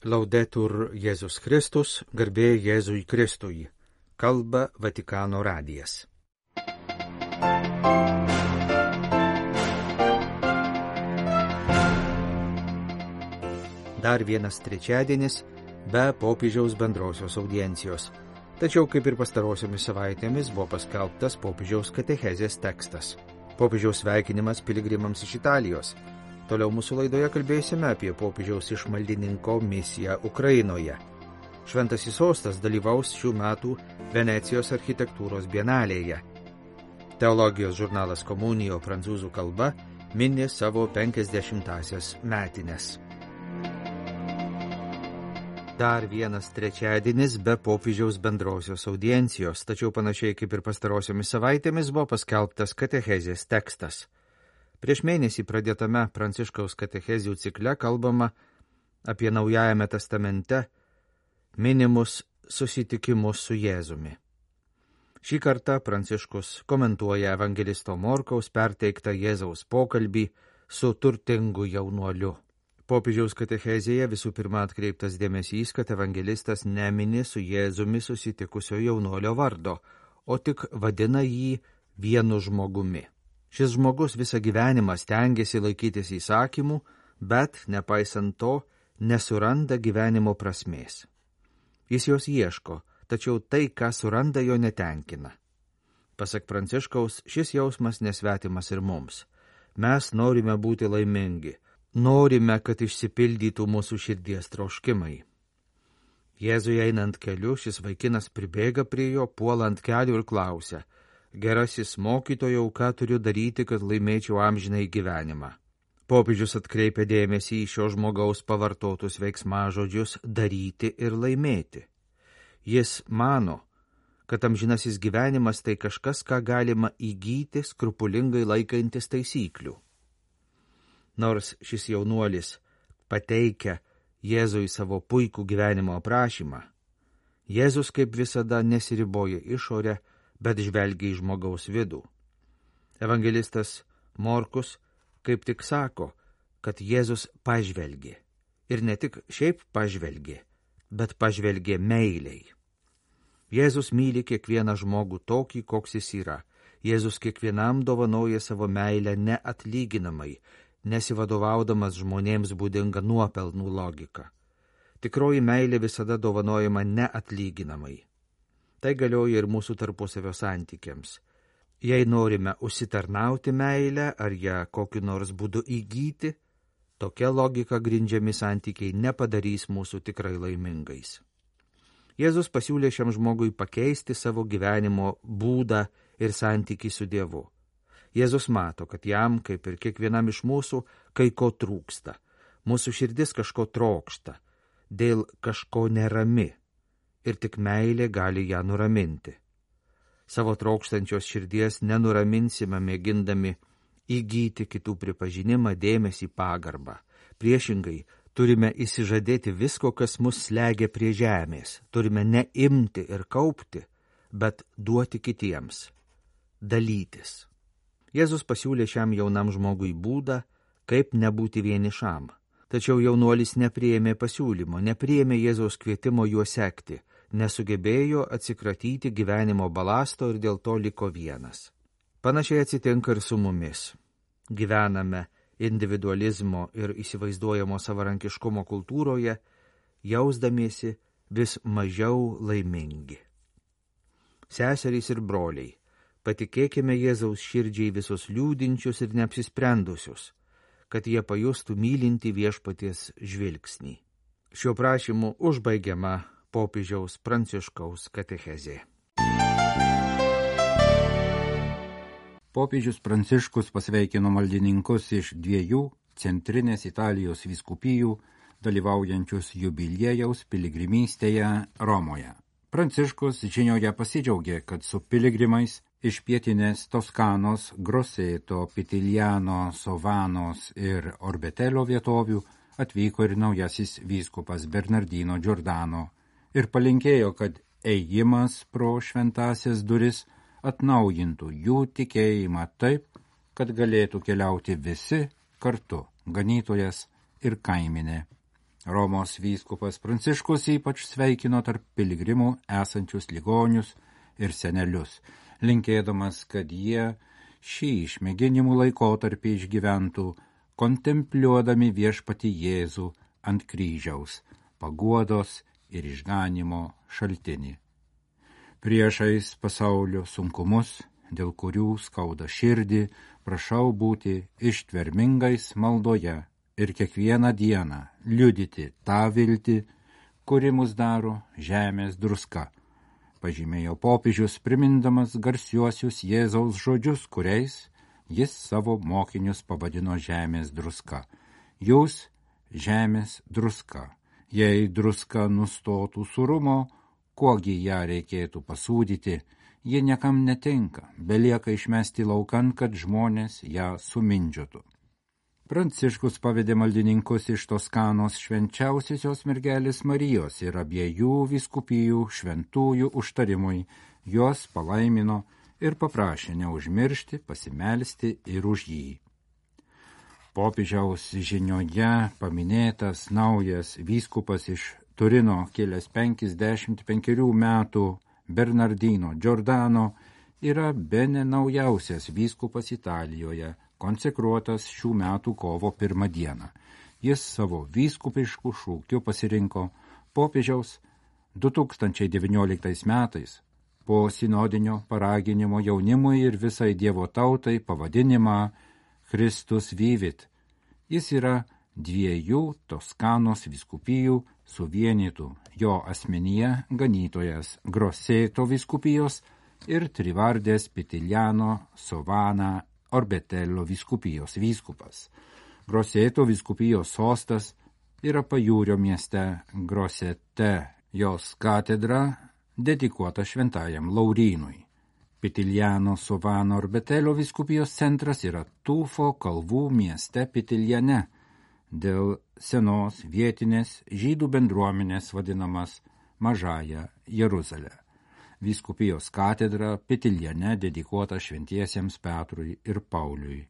Laudetur Jėzus Kristus, garbė Jėzui Kristui. Kalba Vatikano radijas. Dar vienas trečiadienis be popiežiaus bendrosios audiencijos. Tačiau, kaip ir pastarosiomis savaitėmis, buvo paskelbtas popiežiaus katechezės tekstas. Popiežiaus sveikinimas piligrimams iš Italijos. Toliau mūsų laidoje kalbėsime apie popiežiaus išmaldininko misiją Ukrainoje. Šventasis sostas dalyvaus šių metų Venecijos architektūros bienalėje. Teologijos žurnalas Komunijo prancūzų kalba mini savo 50-asias metines. Dar vienas trečiadienis be popiežiaus bendrosios audiencijos, tačiau panašiai kaip ir pastarosiomis savaitėmis buvo paskelbtas katechezės tekstas. Prieš mėnesį pradėtame Pranciškaus katechezių cikle kalbama apie Naujajame testamente minimus susitikimus su Jėzumi. Šį kartą Pranciškus komentuoja evangelisto Morkaus perteiktą Jėzaus pokalbį su turtingu jaunuoliu. Popiežiaus katechezėje visų pirma atkreiptas dėmesys, kad evangelistas nemini su Jėzumi susitikusio jaunuolio vardo, o tik vadina jį vienu žmogumi. Šis žmogus visą gyvenimą stengiasi laikytis įsakymų, bet, nepaisant to, nesuranda gyvenimo prasmės. Jis jos ieško, tačiau tai, ką suranda, jo netenkina. Pasak Pranciškaus, šis jausmas nesvetimas ir mums. Mes norime būti laimingi, norime, kad išsipildytų mūsų širdies troškimai. Jėzui einant keliu, šis vaikinas pribėga prie jo, puola ant kelių ir klausia: Gerasis mokytojau, ką turiu daryti, kad laimėčiau amžinai gyvenimą? Popiežius atkreipia dėmesį į šio žmogaus pavartotus veiksmažodžius daryti ir laimėti. Jis mano, kad amžinasis gyvenimas tai kažkas, ką galima įgyti skrupulingai laikantis taisyklių. Nors šis jaunuolis pateikia Jėzui savo puikų gyvenimo aprašymą, Jėzus kaip visada nesiriboja išorę, bet žvelgia į žmogaus vidų. Evangelistas Morkus kaip tik sako, kad Jėzus pažvelgė. Ir ne tik šiaip pažvelgė, bet pažvelgė meiliai. Jėzus myli kiekvieną žmogų tokį, koks jis yra. Jėzus kiekvienam dovanoja savo meilę neatlyginamai, nesivadovaudamas žmonėms būdinga nuopelnų logika. Tikroji meilė visada dovanojama neatlyginamai. Tai galioja ir mūsų tarpusavio santykiams. Jei norime užsitarnauti meilę ar ją kokiu nors būdu įgyti, tokia logika grindžiami santykiai nepadarys mūsų tikrai laimingais. Jėzus pasiūlė šiam žmogui pakeisti savo gyvenimo būdą ir santykį su Dievu. Jėzus mato, kad jam, kaip ir kiekvienam iš mūsų, kai ko trūksta. Mūsų širdis kažko trokšta, dėl kažko nerami. Ir tik meilė gali ją nuraminti. Savo trokštančios širdies nenuraminsime mėgindami įgyti kitų pripažinimą, dėmesį, pagarbą. Priešingai, turime įsižadėti visko, kas mus slegia prie žemės. Turime ne imti ir kaupti, bet duoti kitiems. Dalytis. Jėzus pasiūlė šiam jaunam žmogui būdą, kaip nebūti vienišam. Tačiau jaunuolis nepriėmė pasiūlymo, nepriėmė Jėzaus kvietimo juo sekti, nesugebėjo atsikratyti gyvenimo balasto ir dėl to liko vienas. Panašiai atsitinka ir su mumis. Gyvename individualizmo ir įsivaizduojamo savarankiškumo kultūroje, jausdamiesi vis mažiau laimingi. Seserys ir broliai, patikėkime Jėzaus širdžiai visus liūdinčius ir neapsisprendusius, kad jie pajustų mylinti viešpaties žvilgsnį. Šiuo prašymu užbaigiama popiežiaus Pranciškaus katechezė. Popiežius Pranciškus pasveikino maldininkus iš 2 centrinės Italijos vyskupijų, dalyvaujančius jubiliejaus piligrimystėje Romoje. Pranciškus žinioje pasidžiaugė, kad su piligrimais iš pietinės Toskanos, Grosseto, Pitiliano, Sovanos ir Orbetelio vietovių atvyko ir naujasis vyskupas Bernardino Giordano ir palinkėjo, kad ėjimas pro šventąsias duris atnaujintų jų tikėjimą taip, kad galėtų keliauti visi kartu, ganytojas ir kaiminė. Romos vyskupas Pranciškus ypač sveikino tarp piligrimų esančius ligonius ir senelius, linkėdamas, kad jie šį išmėginimų laikotarpį išgyventų, kontempliuodami viešpatį Jėzų ant kryžiaus, paguodos ir išganimo šaltinį. Priešais pasaulio sunkumus, dėl kurių skauda širdį, prašau būti ištvermingais maldoje ir kiekvieną dieną liudyti tą viltį, kuri mus daro žemės druska, pažymėjo popiežius, primindamas garsiuosius Jėzaus žodžius, kuriais jis savo mokinius pavadino žemės druska. Jūs žemės druska. Jei druska nustotų surumo, kuogi ją reikėtų pasūdyti, ji niekam netinka, belieka išmesti laukan, kad žmonės ją sumindžiotų. Pranciškus pavedė maldininkus iš Toskanos švenčiausiosios mergelės Marijos ir abiejų vyskupijų šventųjų užtarimui, juos palaimino ir paprašė neužmiršti, pasimelsti ir už jį. Popiežiaus žinioje paminėtas naujas vyskupas iš Turino, kilęs 55 metų, Bernardino Giordano, yra bene naujausias vyskupas Italijoje, konsekruotas šių metų kovo 1 dieną. Jis savo vyskupiškų šūkių pasirinko popiežiaus 2019 metais po sinodinio paraginimo jaunimui ir visai Dievo tautai pavadinimą Christus Vivit. Jis yra 2 Toskanos vyskupijų suvienytų jo asmenyje ganytojas Grosseto vyskupijos ir Trivardės Pitiliano Sovana Orbetello vyskupijos vyskupas. Grosseto vyskupijos sostas yra pajūrio mieste Grossete, jos katedra dedikuota šventajam Laurynui. Pitiliano Sovano Orbetello vyskupijos centras yra Tufo kalvų mieste Pitiliane, dėl senos vietinės žydų bendruomenės vadinamas Mažąja Jeruzalė. Vyskupijos katedra Pitiliane dedikuota šventiesiems Petrui ir Pauliui.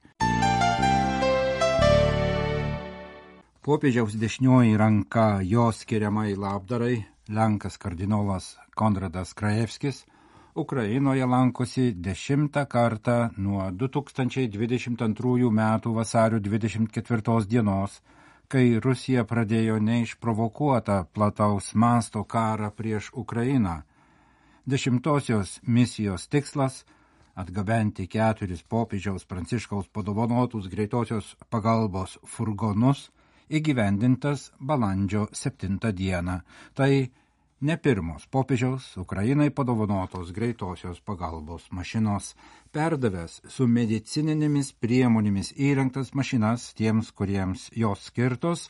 Popiežiaus dešinioji ranka jo skiriamai labdarai, lenkas kardinolas Konradas Krajevskis, Ukrainoje lankosi 10 kartą nuo 2022 metų vasario 24 dienos, kai Rusija pradėjo neišprovokuotą plataus masto karą prieš Ukrainą. 10-osios misijos tikslas – atgabenti 4 popiežiaus Pranciškaus padovanotus greitosios pagalbos furgonus, įgyvendintas balandžio 7 dieną. Tai ne pirmos popiežiaus Ukrainai padovanotos greitosios pagalbos mašinos, perdavęs su medicininėmis priemonėmis įrengtas mašinas tiems, kuriems jos skirtos,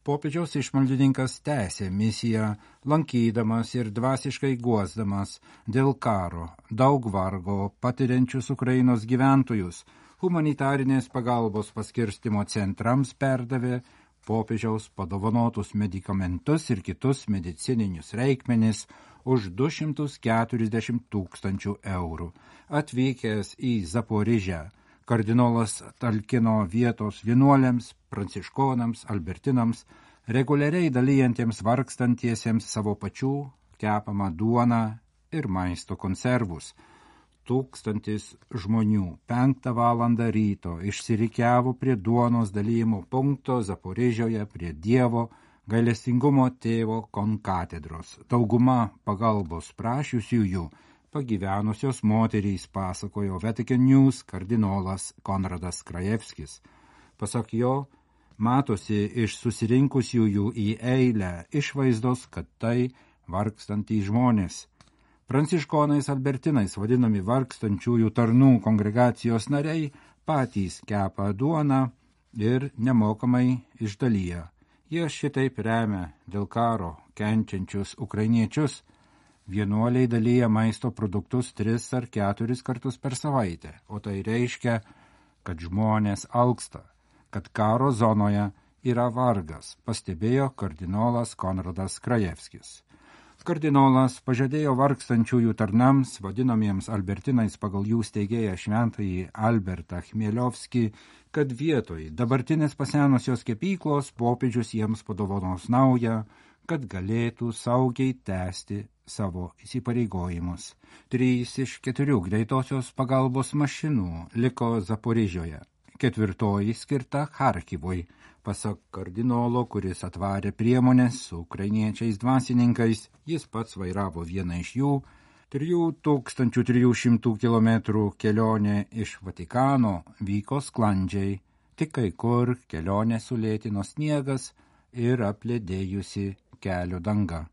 popiežiaus išmaldininkas tęsė misiją, lankydamas ir dvasiškai guosdamas dėl karo daug vargo patiriančius Ukrainos gyventojus, humanitarinės pagalbos paskirstimo centrams perdavė popiežiaus padovanotus medikamentus ir kitus medicininius reikmenis už 240 000 eurų. Atvykęs į Zaporižę, kardinolas talkino vietos vienuoliams, pranciškonams, albertinams, reguliariai dalijantiems vargstantiesiems savo pačių kepamą duoną ir maisto konservus. 1000 žmonių 5 valandą ryto išsirikiavo prie duonos dalijimo punkto Zaporižioje prie Dievo gailestingumo tėvo konkatedros. Dauguma pagalbos prašiusiųjų pagyvenusios moterys, pasakojo Vatican News kardinolas Konradas Krajevskis. Pasak jo, matosi iš susirinkusiųjų į eilę išvaizdos, kad tai vargstantys žmonės. Pranciškonais albertinais vadinami vargstančiųjų tarnų kongregacijos nariai patys kepa duoną ir nemokamai išdalyja. Jie šitaip remia dėl karo kenčiančius ukrainiečius. Vienuoliai dalyja maisto produktus 3 ar 4 kartus per savaitę, o tai reiškia, kad žmonės alksta, kad karo zonoje yra vargas, pastebėjo kardinolas Konradas Krajevskis. Kardinolas pažadėjo vargstančiųjų tarnams, vadinamiems Albertinais pagal jų steigėją šventąjį Albertą Chmieliovskį, kad vietoj dabartinės pasenusios kepyklos popiežius jiems padovanos naują, kad galėtų saugiai tęsti savo įsipareigojimus. 3 iš 4 greitosios pagalbos mašinų liko Zaporižioje, 4 skirta Charkivui. Pasak kardinolo, kuris atvarė priemonės su ukrainiečiais dvasininkais, jis pats vairavo vieną iš jų. 3300 km kelionė iš Vatikano vyko sklandžiai, tik kai kur kelionė sulėtino sniegas ir apledėjusi kelio danga.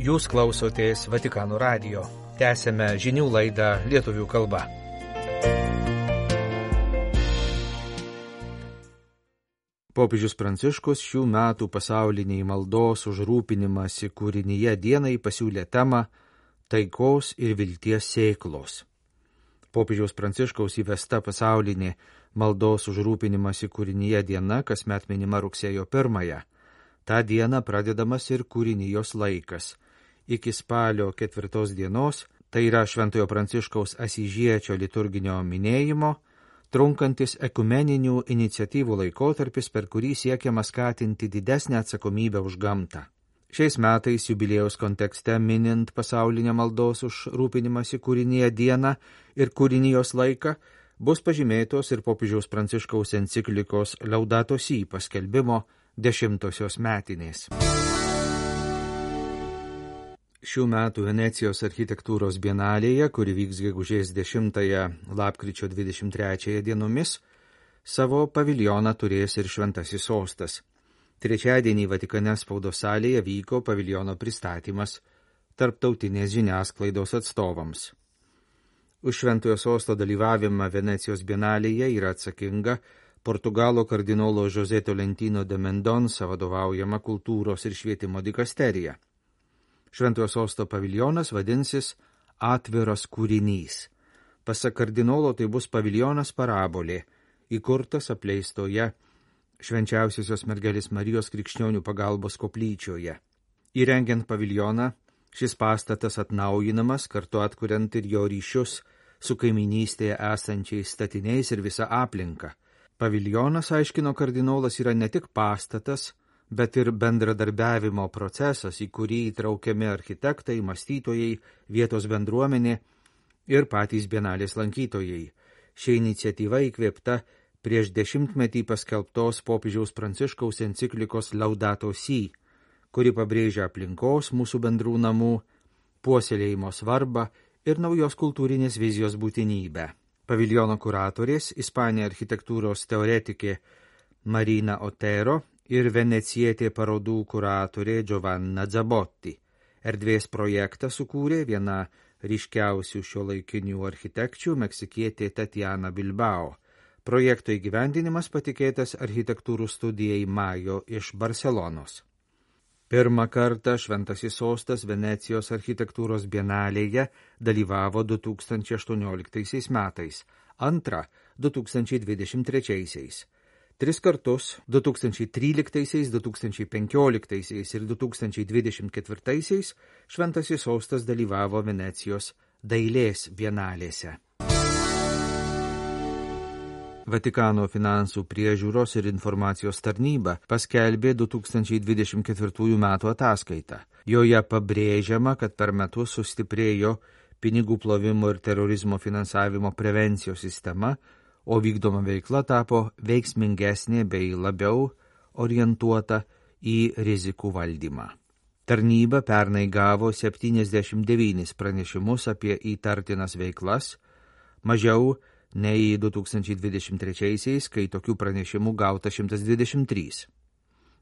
Jūs klausotės Vatikano radijo. Tęsėme žinių laidą lietuvių kalba. Popiežius Pranciškus šių metų pasauliniai maldos už rūpinimąsi kūrinyje dienai pasiūlė temą taikos ir vilties sėklos. Popiežiaus Pranciškaus įvesta pasaulinė maldos už rūpinimąsi kūrinyje diena kasmet minima rugsėjo 1. Ta diena pradedamas ir kūrinijos laikas. Iki spalio 4 dienos, tai yra Šventojo Pranciškaus Asyžiečio liturginio minėjimo, trunkantis ekumeninių iniciatyvų laikotarpis, per kurį siekiama skatinti didesnę atsakomybę už gamtą. Šiais metais jubiliejaus kontekste minint pasaulinę maldos už rūpinimąsi kūrinyje dieną ir kūrinijos laiką, bus pažymėtos ir popiežiaus Pranciškaus enciklikos Laudato Si paskelbimo 10-osios metinės. Šių metų Venecijos architektūros bienalėje, kuri vyks gegužės 10 lapkričio 23 dienomis, savo paviljoną turės ir Šventasis sostas. Trečiadienį Vatikane spaudos salėje vyko paviljono pristatymas tarptautinės žiniasklaidos atstovams. Už Šventojo sosto dalyvavimą Venecijos bienalėje yra atsakinga Portugalo kardinolo José Tolentino de Mendonça vadovaujama kultūros ir švietimo dikasterija. Šventojo sosto paviljonas vadinsis Atviras kūrinys. Pasak kardinolo tai bus paviljonas parabolė, įkurtas apleistoje Švenčiausiosios mergelės Marijos krikščionių pagalbos koplyčioje. Įrengiant paviljoną, šis pastatas atnaujinamas, kartu atkuriant ir jo ryšius su kaiminystėje esančiais statiniais ir visa aplinka. Paviljonas, aiškino kardinolas, yra ne tik pastatas, bet ir bendradarbiavimo procesas, į kurį įtraukiami architektai, mąstytojai, vietos bendruomenė ir patys bienalės lankytojai. Ši iniciatyva įkvėpta prieš 10-metį paskelbtos popiežiaus Pranciškaus enciklikos Laudato Si, kuri pabrėžia aplinkos mūsų bendrų namų, puoselėjimo svarbą ir naujos kultūrinės vizijos būtinybę. Paviljono kuratorės, Ispanija architektūros teoretikė Marina Otero ir venecietė parodų kuratorė Giovanna Zabotti. Erdvės projektą sukūrė viena ryškiausių šiuolaikinių architekčių meksikietė Tatiana Bilbao. Projekto įgyvendinimas patikėtas architektūrų studijai Majo iš Barselonos. Pirmą kartą Šventasis sostas Venecijos architektūros bienalėje dalyvavo 2018 metais, antrą 2023. 3 kartus 2013, 2015 ir 2024 Šventasis sostas dalyvavo Venecijos dailės bienalėse. Vatikano finansų priežiūros ir informacijos tarnyba paskelbė 2024 metų ataskaitą. Joje pabrėžiama, kad per metus sustiprėjo pinigų plovimo ir terorizmo finansavimo prevencijos sistema, o vykdoma veikla tapo veiksmingesnė bei labiau orientuota į rizikų valdymą. Tarnyba pernai gavo 79 pranešimus apie įtartinas veiklas, mažiau nei 2023, kai tokių pranešimų gauta 123.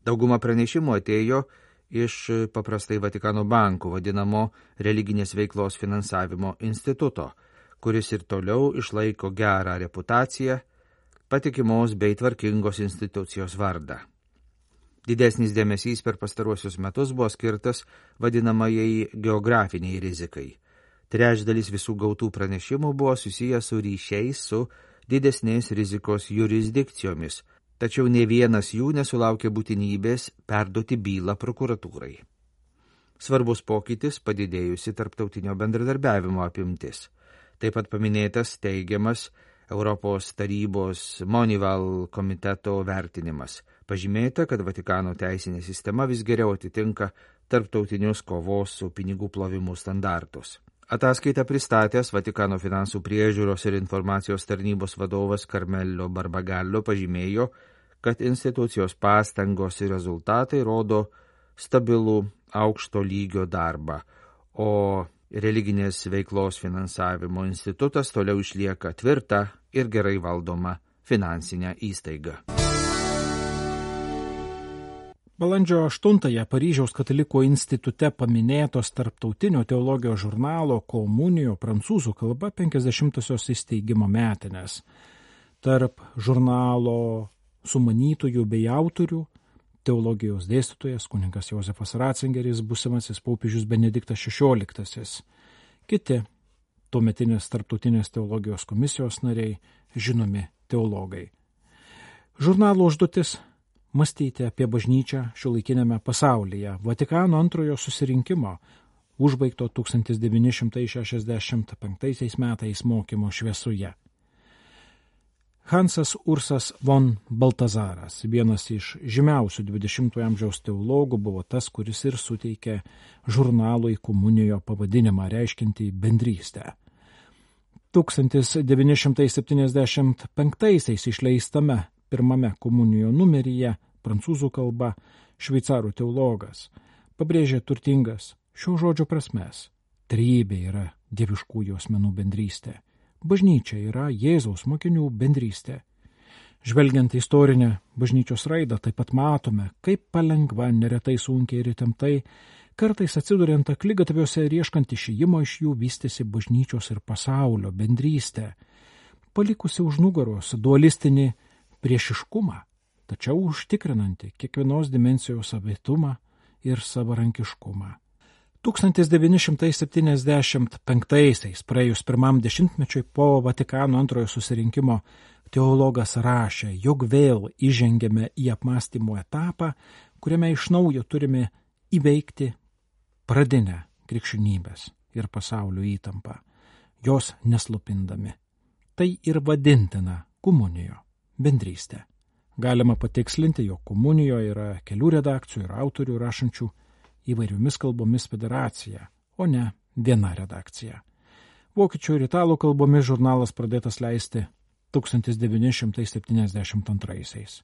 Dauguma pranešimų atėjo iš paprastai Vatikano bankų vadinamo religinės veiklos finansavimo instituto, kuris ir toliau išlaiko gerą reputaciją, patikimos bei tvarkingos institucijos vardą. Didesnis dėmesys per pastaruosius metus buvo skirtas vadinamajai geografiniai rizikai. Trečdalis visų gautų pranešimų buvo susijęs su ryšiais su didesnės rizikos jurisdikcijomis, tačiau ne vienas jų nesulaukė būtinybės perduoti bylą prokuratūrai. Svarbus pokytis padidėjusi tarptautinio bendradarbiavimo apimtis. Taip pat paminėtas teigiamas Europos tarybos Moneyval komiteto vertinimas. Pažymėta, kad Vatikano teisinė sistema vis geriau atitinka tarptautinius kovos su pinigų plovimu standartus. Ataskaitą pristatęs Vatikano finansų priežiūros ir informacijos tarnybos vadovas Carmelo Barbagallo pažymėjo, kad institucijos pastangos ir rezultatai rodo stabilų aukšto lygio darbą, o religinės veiklos finansavimo institutas toliau išlieka tvirta ir gerai valdoma finansinė įstaiga. Balandžio 8-ąją Paryžiaus katalikų institute paminėtos tarptautinio teologijos žurnalo Komunijo prancūzų kalba 50-osios įsteigimo metinės. Tarp žurnalo sumanytojų bei autorių teologijos dėstytojas kunigas Jozefas Ratzingeris, būsimasis popiežius Benediktas XVI. Kiti tuometinės tarptautinės teologijos komisijos nariai, žinomi teologai. Žurnalo užduotis – mąstyti apie bažnyčią šiuolaikiniame pasaulyje. Vatikano antrojo susirinkimo, užbaigto 1965 metais mokymo šviesoje. Hansas Ursas von Baltazaras, vienas iš žymiausių 20-ojo amžiaus teologų, buvo tas, kuris ir suteikė žurnalui Komunijo pavadinimą reiškiantį bendrystę. 1975 išleistame pirmame Komunijo numeryje prancūzų kalba šveicarų teologas pabrėžė turtingas šio žodžio prasmes. Trejybė yra dieviškųjų asmenų bendrystė. Bažnyčia yra Jėzaus mokinių bendrystė. Žvelgiant istorinę bažnyčios raidą, taip pat matome, kaip palengva, neretai sunkiai ir įtemptai, kartais atsiduriant akligatviuose ir ieškant išėjimo iš jų vystėsi bažnyčios ir pasaulio bendrystė, palikusi už nugaros dualistinį priešiškumą, tačiau užtikrinanti kiekvienos dimensijos savitumą ir savarankiškumą. 1975 praėjus pirmam dešimtmečiui po Vatikano antrojo susirinkimo teologas rašė, jog vėl įžengėme į apmąstymo etapą, kuriame iš naujo turime įveikti pradinę krikščionybės ir pasaulio įtampą, jos neslopindami. Tai ir vadintina komunijo bendrystė. Galima patikslinti, jog komunijo yra kelių redakcijų ir autorių rašančių įvairiomis kalbomis federacija, o ne viena redakcija. Vokiečių ir italų kalbomis žurnalas pradėtas leisti 1972.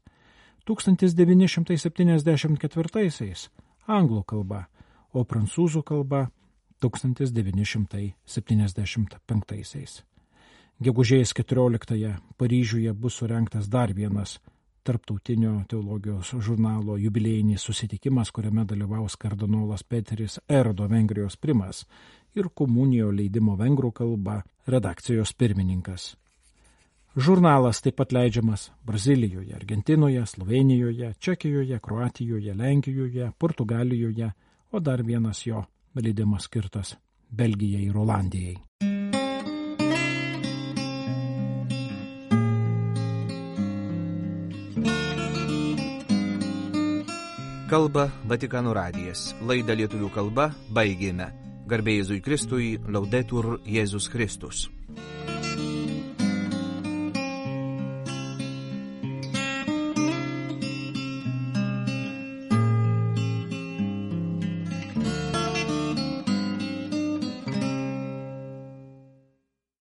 1974 anglų kalba, o prancūzų kalba 1975. Gegužės 14 Paryžiuje bus surengtas dar vienas tarptautinio teologijos žurnalo jubiliejinis susitikimas, kuriame dalyvaus kardinolas Peteris Erdo, Vengrijos primas, ir komunijo leidimo vengrų kalba redakcijos pirmininkas. Žurnalas taip pat leidžiamas Brazilijoje, Argentinoje, Slovėnijoje, Čekijoje, Kroatijoje, Lenkijoje, Portugalijoje, o dar vienas jo leidimas skirtas Belgijai ir Olandijai. Kalba Vatikano radijas. Laidą lietuvių kalba baigėme. Garbė Jėzui Kristui, Laudetur Jėzus Kristus.